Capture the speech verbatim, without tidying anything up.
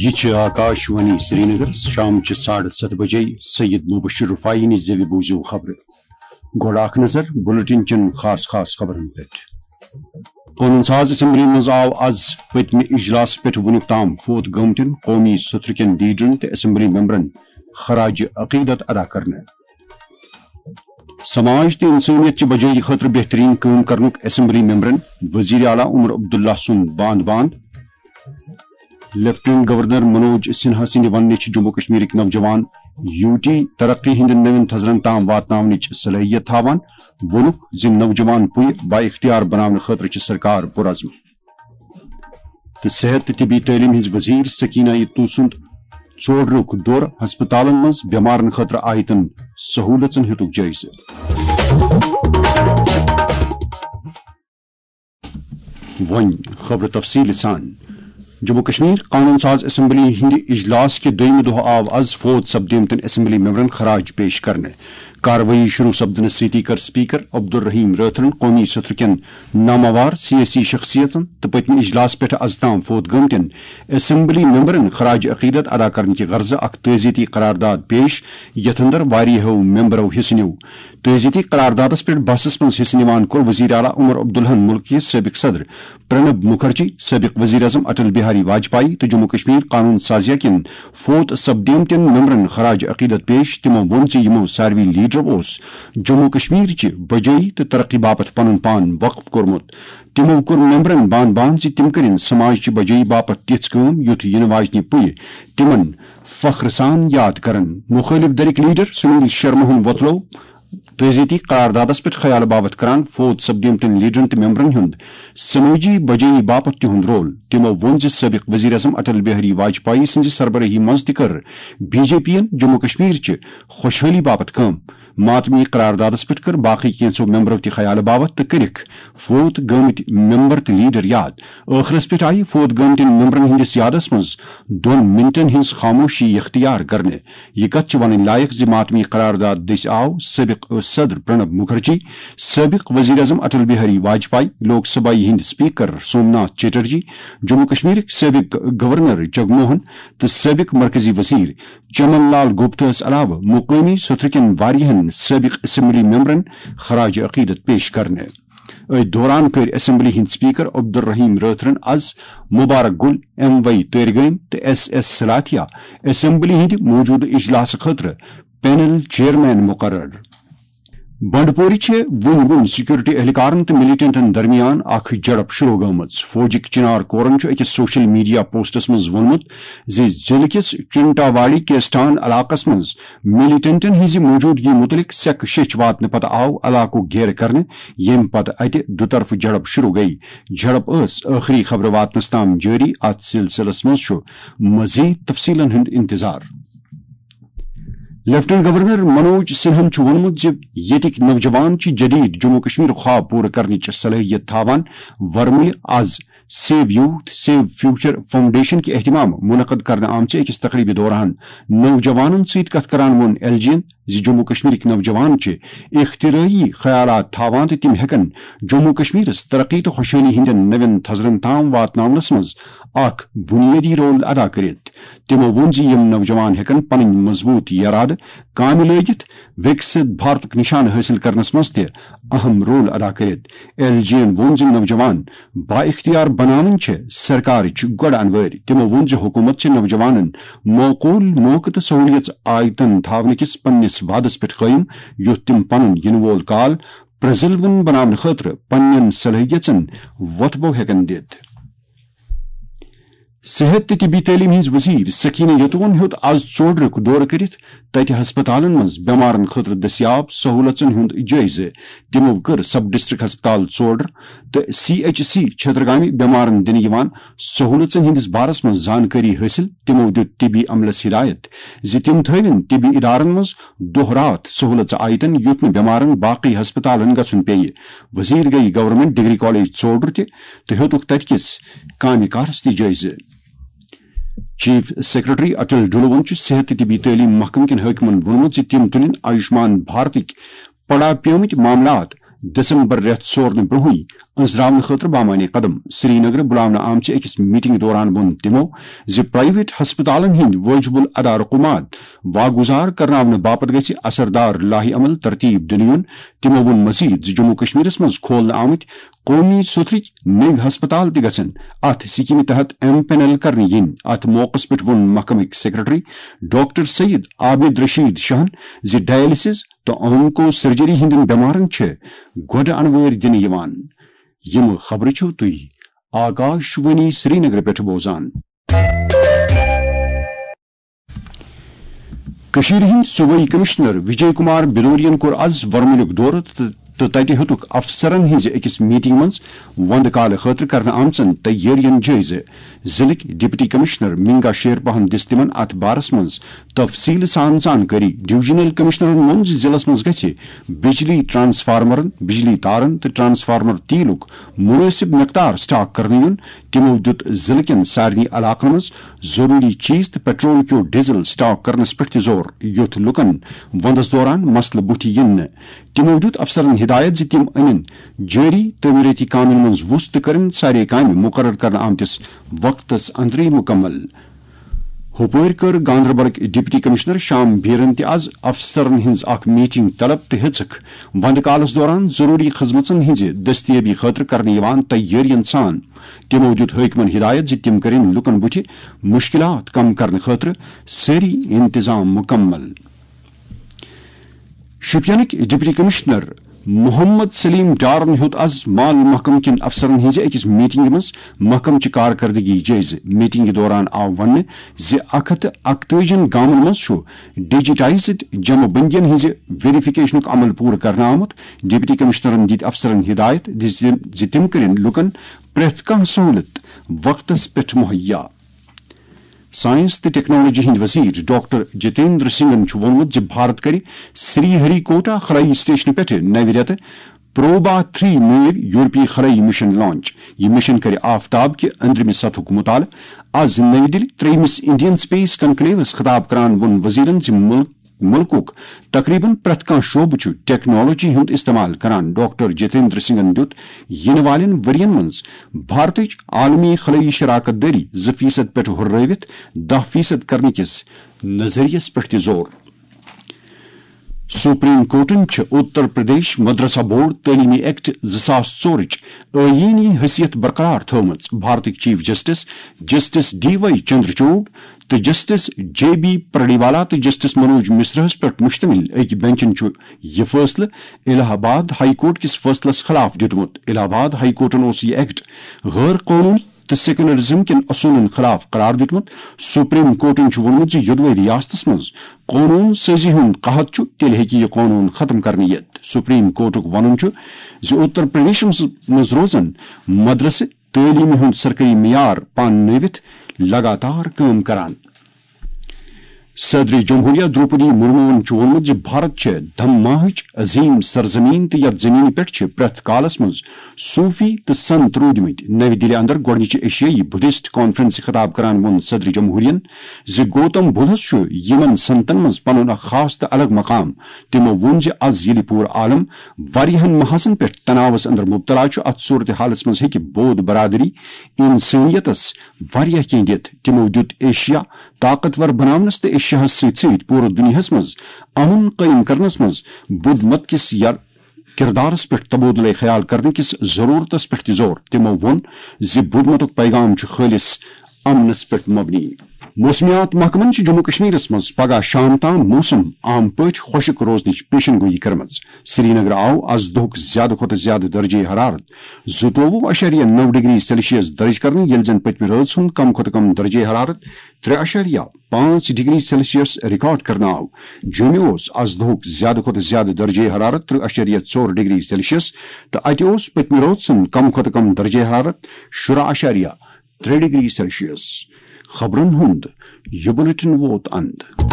یہ چھِ آکاش وانی سرینگر، شام چہِ ساڑٕ ستھ بجے سید مبشر رفاعی نِش زیوِ بوٗزِو خبرٕ۔ گۄڈٕ اکھ نظر بلیٹن چٮ۪ن خاص خاص خبرن پٮ۪ٹھ۔ قونوٗن ساز اسمبلی منٛز آو از پٔتمہِ اجلاس پٮ۪ٹھ وُنیُک تام فوت گٲمتٮ۪ن قومی سترٕ کٮ۪ن لیڈرن تہٕ اسمبلی ممبرن خراج عقیدت ادا کرنہٕ۔ سماج تہٕ انسٲنیت چہِ بجٲیی خٲطرٕ بہترین کٲم کرنُک اسمبلی ممبرن وزیر اعلیٰ عمر عبداللہ سُنٛد باند باند۔ لیفٹیننٹ گورنر منوج سنہا سٕنٛدِ وننہٕ چھِ جموں کشمیرٕکۍ نوجوان یوٗ ٹی ترقی ہٕنٛدٮ۪ن نوٮ۪ن تھزرن تام واتناونٕچ صلٲحیت تھاوان۔ ووٚنُکھ زِ نوجوان پُیہِ با اختیار بناونہٕ خٲطرٕ چھِ سرکار پُرعزم۔ تہٕ صحت تہٕ طبی تعلیٖم ہٕنٛز وزیر سکینہ یتو سُنٛد ژوڈرُک دورٕ، ہسپتالن منٛز بٮ۪مارن خٲطرٕ آیتن سہوٗلژن ہیوٚتُکھ جٲیزٕ۔ وۄنۍ خبرٕ تفصیٖل سان۔ جموں کشمیر قانون ساز اسمبلی ہٕنٛدِ اجلاس کہِ دوٚیمہِ دۄہ آو از فوت سپدیمتٮ۪ن اسمبلی ممبرن خراج پیش کرنہٕ۔ کاروٲیی شروع سپدنہٕ سۭتی کٔر سپیکر عبدالرحیم رٲتھرن قومی سترٕ کٮ۪ن ناماوار سیٲسی شخصیتن تہٕ پٔتمہِ اجلاس پٮ۪ٹھ از تام فوت گٲمتٮ۪ن اسمبلی ممبرن خراج عقیدت ادا کرنہٕ کہِ غرضہٕ اکھ تعزیتی قرارداد پیش، یتھ اندر واریاہو ممبرو حصہٕ نیوٗ۔ تعزیتی قراردادس پٮ۪ٹھ بحثس منٛز حصہٕ نِوان کوٚر وزیر اعلیٰ عمر عبداللہن مُلکہٕ کِس سٲبق صدر پرنب مکھرجی، سٲبق وزیر اعظم اٹل بہاری واجپایی تہٕ جموں کشمیر قانون سازیہ کٮ۪ن فوت سپدیمتٮ۪ن ممبرن خراج عقیدت پیش۔ تِمو ووٚن زِ یِمو ساروٕے لیڈرو اوس جموں کشمیر چہِ بجٲیی تہٕ ترقی باپتھ پنُن پان وقف کوٚرمُت۔ تِمو کوٚر ممبرن بان بان زِ تِم کٔرِن سماج چہِ بجٲیی باپتھ تِژھ کٲم یُتھ یِنہٕ واجنہِ پُیہِ تِمن فخر سان یاد کرن۔ مُخٲلِف دھرٕکۍ لیڈر سنیل شرماہن وۄتلوو تعزیتی قراردادس پٮ۪ٹھ خیال باوتھ کران فوت سپدیمتٮ۪ن لیڈرن تہٕ ممبرن ہُنٛد سمٲجی بجٲیی باپتھ تِہُنٛد رول۔ تِمو ووٚن زِ سٲبق وزیر اعظم اٹل بہاری واجپایی سٕنٛزِ سربرٲہی منٛز تہِ کٔر بی جے پی ین جموں کشمیر چہِ خۄشحٲلی باپتھ کٲم۔ ماتمی قراردادس پٮ۪ٹھ کٔر باقٕے کینٛژو ممبرو تہِ خیال باوتھ تہٕ کٔرِکھ فوت گٲمٕتۍ ممبر تہٕ لیڈر یاد۔ ٲخرس پٮ۪ٹھ آیہِ فوت گٲمتٮ۪ن ممبرن ہٕنٛدِس یادس منٛز دۄن منٹن ہٕنٛز خاموشی اختیار کرنہٕ۔ یہِ کتھ چھِ ونٕنۍ لایق زِ ماتمی قرارداد دٔسۍ آو سٲبق صدر پرنب مکھرجی، سٲبق وزیر اعظم اٹل بہاری واجپایی، لوک سبھایہ ہٕنٛدۍ سپیکر سومناتھ چیٹرجی، جموں کشمیرٕکۍ سٲبق گورنر جگموہن تہٕ سٲبق مرکزی وزیر چمن لال گپتہس علاوٕ مقٲمی سترٕ کٮ۪ن واریاہن سٲبق اسمبلی ممبرن خراج عقیدت پیش کرنہٕ۔ أتھۍ دوران کٔرۍ اسمبلی ہٕنٛدۍ سپیکر عبدالرحیم رٲتھرن از مبارک گل، ایم وی تٲرگٲمۍ تہٕ ایس ایس سلاتھیا اسمبلی ہٕنٛدِ موجودٕ اجلاسہٕ خٲطرٕ پینل چیئرمین مقرر۔ بنڈپوری چھِ وُنہِ وُنہِ سیکورٹی اہلکارن تہٕ ملیٹنٹن درمیان اکھ جھڑپ شروع گٔمٕژ۔ فوجٕکۍ چنار کورن چھُ أکِس سوشل میڈیا پوسٹس منٛز ووٚنمُت زِ ضلعہٕ کِس چنٹاواڑی کیسٹان علاقس منٛز ملیٹنٹن ہٕنٛزِ موجودگی مُتعلق سیٚکھ شیٚچھ واتنہٕ پتہٕ آو علاقُک گھیرٕ کرنہٕ، ییٚمہِ پتہٕ اتہِ دُطرفہٕ جھڑپ شروع گٔیہِ۔ جھڑپ ٲس ٲخری خبرٕ واتنس تام جٲری۔ اتھ سلسلس منٛز چھُ مزید تفصیلن ہُنٛد انتظار۔ لیفٹیننٹ گورنر منوج سنہن چھُ ووٚنمُت زِ ییٚتِکۍ نوجوان چھِ جدید جموں کشمیر خواب پوٗرٕ کرنٕچ صلٲحیت تھاوان۔ ورمُلہِ از save youth save future foundation کہِ اہتمام منعقد کرنہٕ آمژِ أکِس تقریبہِ دوران نوجوانن سۭتۍ کتھ کران ووٚن ایل جی ین زِ جموں کشمیرٕکۍ نوجوان چھِ اختراعی خیالات تھاوان تہٕ تِم ہٮ۪کن جموں کشمیرس ترقی تہٕ خۄشحٲلی ہٕنٛدٮ۪ن نوٮ۪ن تھزرن تام واتناونس منٛز اکھ بنیٲدی رول ادا کٔرِتھ۔ تِمو ووٚن زِ یِم نوجوان ہٮ۪کن پنٕنۍ مضبوٗط یرادٕ کامہِ لٲگِتھ وِکسِت بھارتُک نِشانہٕ حٲصِل کرنس منٛز تہِ اہم رول ادا کٔرِتھ۔ ایل جی ین ووٚن زِ نوجوان با اختیار بناوٕنۍ چھِ سرکارٕچ گۄڈٕ انوٲرۍ۔ تِمو ووٚن زِ حکوٗمت چھِ نوجوانن معقول موقعہٕ تہٕ سہوٗلیژ آیتن تھاونہٕ کِس پننِس وعدس پٮ۪ٹھ قٲیِم، یُتھ تِم پنُن یِنہٕ وول کال پرٛزلوُن بناونہٕ خٲطرٕ پننٮ۪ن صلٲحیژن وۄتھٕ بو ہٮ۪کن دِتھ۔ صحت تہٕ طبی تعلیٖم ہٕنٛز وزیر سکینہ یتوَن ہیوٚت از ژوڈرُک دورٕ کٔرِتھ تتہِ ہسپتالن منٛز بٮ۪مارن خٲطرٕ دٔستیاب سہوٗلژن ہُنٛد جٲیزٕ۔ تِمو کٔر سب ڈسٹرکٹ ہسپتال ژوڈر تہٕ سی ایچ سی چھترگامہِ بٮ۪مارن دِنہٕ یِوان سہوٗلژن ہٕنٛدِس بارس منٛز زانکٲری حٲصِل۔ تِمو دیُت طبی عملس ہدایت زِ تِم تھٲوِن طبی ادارن منٛز دۄہ راتھ سہوٗلژ آیتن، یُتھ نہٕ بٮ۪مارن باقٕے ہسپتالن گژھُن پیٚیہِ۔ وزیر گٔیہِ گورنمنٹ ڈگری کالج ژوڈر تہِ تہٕ ہیوٚتُکھ تتہِ کِس کامہِ کارس تہِ جٲیزٕ۔ چیف سیکرٹری اٹل ڈلوَن چھُ صحت تہٕ طبی تعلیٖم محکمہٕ کٮ۪ن حٲکمَن ووٚنمُت زِ تِم تُلِن آیوشمان بھارتٕکۍ پڑا پیمٕتۍ معاملات دسمبر رٮ۪تھ سورنہٕ برونٛہٕے أنٛزراونہٕ خٲطرٕ بامعنی قدم۔ سرینگرٕ بُلاونہٕ آمژِ أکِس میٹنگ دوران ووٚن تِمو زِ پرائیویٹ ہسپتالن ہٕنٛدۍ وٲجِب الادارُک ماد واگُزار کرناونہٕ باپتھ گژھِ اثردار لایحہ عمل ترتیب دِنہٕ یُن۔ تِمو ووٚن مزید زِ جموں کشمیرس منٛز کھولنہٕ آمٕتۍ قومی سوٚتھرٕکۍ نٔوۍ ہسپتال تہِ گژھن اتھ سکیمہِ تحت ایم پینل کرنہٕ یِنۍ۔ اتھ موقعس پٮ۪ٹھ ووٚن محکمٕکۍ سیکرٹری ڈاکٹر سید عابد رشید شاہن زِ ڈائلسس تہٕ آنکو سرجری ہٕنٛدٮ۪ن بٮ۪مارن چھِ گۄڈٕ انوٲرۍ دِنہٕ یِوان۔ یِم خبرٕ چھِو تُہۍ آکاش وانی سرینگرٕ پٮ۪ٹھ بوزان۔ کٔشیٖرِ ہٕنٛدۍ صوبٲئی کمشنر وجے کمار بدوریَن کوٚر از ورمُلُک دورٕ تہٕ، تہٕ تتہِ ہیوٚتُکھ افسرن ہٕنٛزِ أکِس میٹنگ منٛز وندٕ کالہٕ خٲطرٕ کرنہٕ آمژن تیٲرین جٲیزٕ۔ ضلعٕکۍ ڈپٹی کمشنر منگا شیرپاہن دِژ تِمن اتھ بارس منٛز تفصیل سان زانکٲری۔ ڈویژنل کمشنرن ووٚن زِ ضلعس منٛز گژھِ بجلی ٹرانسفارمرن، بجلی تارن تہٕ ٹرانسفارمر تیلُک مناسب مقدار سٹاک کرنہٕ یُن۔ تِمو دِیُت ضلعہٕ کٮ۪ن سارنٕے علاقن منٛز ضروری چیز تہٕ پیٹرول کیو ڈیزل سٹاک کرنس پٮ۪ٹھ تہِ زور، یُتھ لوٗکن وندس دوران مسلہٕ بُتھِ یِن نہٕ۔ تِمو دِیُت افسرن ہدایت زِ تِم أنِن جٲری تعمیٖرٲتی کامٮ۪ن منٛز وُژھ تہٕ کٔرِن سارے کامہِ مُقرر کرنہٕ آمتِس وقتس اندرٕے مُکمل۔ ہُپٲرۍ کٔر گاندربلٕکۍ ڈپٹی کمشنر شام بیرن تہِ از افسرن ہٕنٛز اکھ میٹنگ طلب تہٕ ہیژٕکھ وندٕ کالس دوران ضروری خدمژن ہٕنٛزِ دستیٲبی خٲطرٕ کرنہٕ یِوان تیٲرین سان۔ تِمو دِیُت حٲکمن ہدایت زِ تِم کٔرِن لوٗکن بُتھِ مُشکِلات کم کرنہٕ خٲطرٕ سٲری انتظام مُکمل۔ شوپینٕکۍ ڈپٹی کمشنر محمد سلیم ڈارن ہیوٚت از مال محکمہٕ کٮ۪ن افسرن ہٕنٛزِ أکِس میٹنگہِ منٛز محکمہٕ چہِ کارکردگی جٲیزٕ۔ میٹنگہِ دوران آو وننہٕ زِ اکھ ہتھ تہٕ اکتٲجی گامن منٛز چھُ ڈیجیٹائزڈ جمع بندین ہٕنٛزِ ویریفکیشنُک عمل پوٗرٕ کرنہٕ آمُت۔ ڈپٹی کمشنرن دِتۍ افسرن ہدایت دِژ زِ تِم کٔرِن لوٗکن پرٛٮ۪تھ کانٛہہ سہولت وقتس پٮ۪ٹھ مہیا۔ سائنس تہٕ ٹیکنالوجی ہٕنٛدۍ وزیر ڈاکٹر جتیندر سنگھن چھُ ووٚنمُت زِ بھارت کرِ سری ہری کوٹا خلٲیی سٹیشنہٕ پٮ۪ٹھٕ نوِ رٮ۪تہٕ پروبا تھری نٲوۍ یورپی خلٲیی مشن لانچ۔ یہِ مشن کرِ آفتاب کہِ أنٛدرِمہِ سطحُک مطالعہٕ۔ از نَوِ دِلہِ ترٛیٚیمِس انڈین سپیس کنکلیوس خطاب کران ووٚن وزیرن زِ مُلک، مُلکُک تقریباً پرٛٮ۪تھ کانٛہہ شعبہٕ چھُ ٹیکنالوجی ہُنٛد استعمال کران۔ ڈاکٹر جتیندر سنگھن دِیُت یِنہٕ والٮ۪ن ؤرین منٛز بھارتٕچ عالمی خلٲیی شراکت دٲری زٕ فیصد پٮ۪ٹھ ہُررٲوِتھ دَہ فیصد کرنہٕ کِس نظریس پٮ۪ٹھ تہِ زور۔ سپریم کورٹن چھِ اتر پردیش مدرسہ بورڈ تعلیمی ایکٹ زٕ ساس ژورٕچ آئینی حیثیت برقرار تھٲومٕژ۔ بھارتٕکۍ chief justice, justice D Y Chandrachud تہٕ جسٹس جے بی پرڈیوالا تہٕ جسٹس منوج مشراہس پٮ۪ٹھ مشتمل أکۍ بینچن چھُ یہِ فٲصلہٕ الہ آباد ہائی کورٹ کِس فٲصلس خلاف دیُتمُت۔ الہ آباد ہائی کورٹن اوس یہِ ایکٹ غٲر قونوٗنی تہٕ سیکولرزم کٮ۪ن اصوٗلن خلاف قرار دیُتمُت۔ سپریم کورٹن چھُ ووٚنمُت زِ یودوے ریاستس منٛز قونوٗن سٲزی ہُنٛد قحط چھُ، تیٚلہِ ہیٚکہِ یہِ قونوٗن ختم کرنہٕ یِتھ۔ سپریم کورٹُک وَنُن چھُ زِ اتر پردیشس منٛز روزن مدرسہٕ تعلیمہِ ہُنٛد سرکٲری معیار پانہٕ نٲوِتھ لگاتار کٲم کران۔ صدر جمہوریہ دروپدی مرموَن چھُ ووٚنمُت زِ بھارت چھِ دھماہٕچ عظیم سرزمین تہٕ یَتھ زمینہِ پٮ۪ٹھ چھِ پرٛٮ۪تھ کالس منٛز صوفی تہٕ سنت روٗدمٕتۍ۔ نَوِ دِلہِ اندر گۄڈٕنِچہِ ایشیائی بدھسٹ کانفرنسہِ خطاب کران ووٚن صدر جمہوریہن زِ گوتم بدھس چھُ یِمن سنتن منٛز پنُن اکھ خاص تہٕ الگ مقام۔ تِمو ووٚن زِ از ییٚلہِ پوٗرٕ عالم واریاہن محاذن پٮ۪ٹھ تناوس اندر مبتلا چھُ، اتھ صورتحالس منٛز ہیٚکہِ بود برادری انسٲنیتس واریاہ کینٛہہ دِتھ۔ تِمو دیُت ایشیا طاقتور بناونس تہٕ ایشیاہس سۭتۍ سۭتۍ پوٗرٕ دُنیاہس منٛز امن قٲیِم کرنس منٛز بدھ مت کِس یَر-، کردارس پٮ۪ٹھ تبادلہ خیال کرنہٕ کِس ضرورتس پٮ۪ٹھ تہِ زور۔ تِمو ووٚن زِ بدھ متُک پیغام چھُ خٲلص امنس پٮ۪ٹھ مبنی۔ موسمیات محکمن چھِ جموں کشمیرس منٛز پگہہ شام تام موسم عام پٲٹھۍ خۄشک روزنٕچ پیشن گویی کٔرمٕژ۔ سرینگر آو از دۄہُک زیادٕ کھۄتہٕ زیادٕ درجہ حرارت زٕتووُہ اَشاریہ نَو ڈگری سیلسیس درج کرنہٕ، ییٚلہِ زن پٔتمہِ رٲژ ہُنٛد کم کھۄتہٕ کم درجہ حرارت ترٛےٚ اَشاریہ پانٛژھ ڈگری سیلسیس ریکارڈ کرنہٕ آو۔ جوٚمہِ اوس از دۄہُک زیادٕ کھۄتہٕ زیادٕ درجہ حرارت ترٛہ اَشاریہ ژور ڈگری سیلسیس تہٕ اتہِ اوس پٔتمہِ رٲژ ہُنٛد کم کھۄتہٕ کم درجہ حرارت شُراہ اَشاریہ ترٛےٚ ڈگری سیلسیس۔ خبرن ہُنٛد یہِ بُلٹن ووت اند۔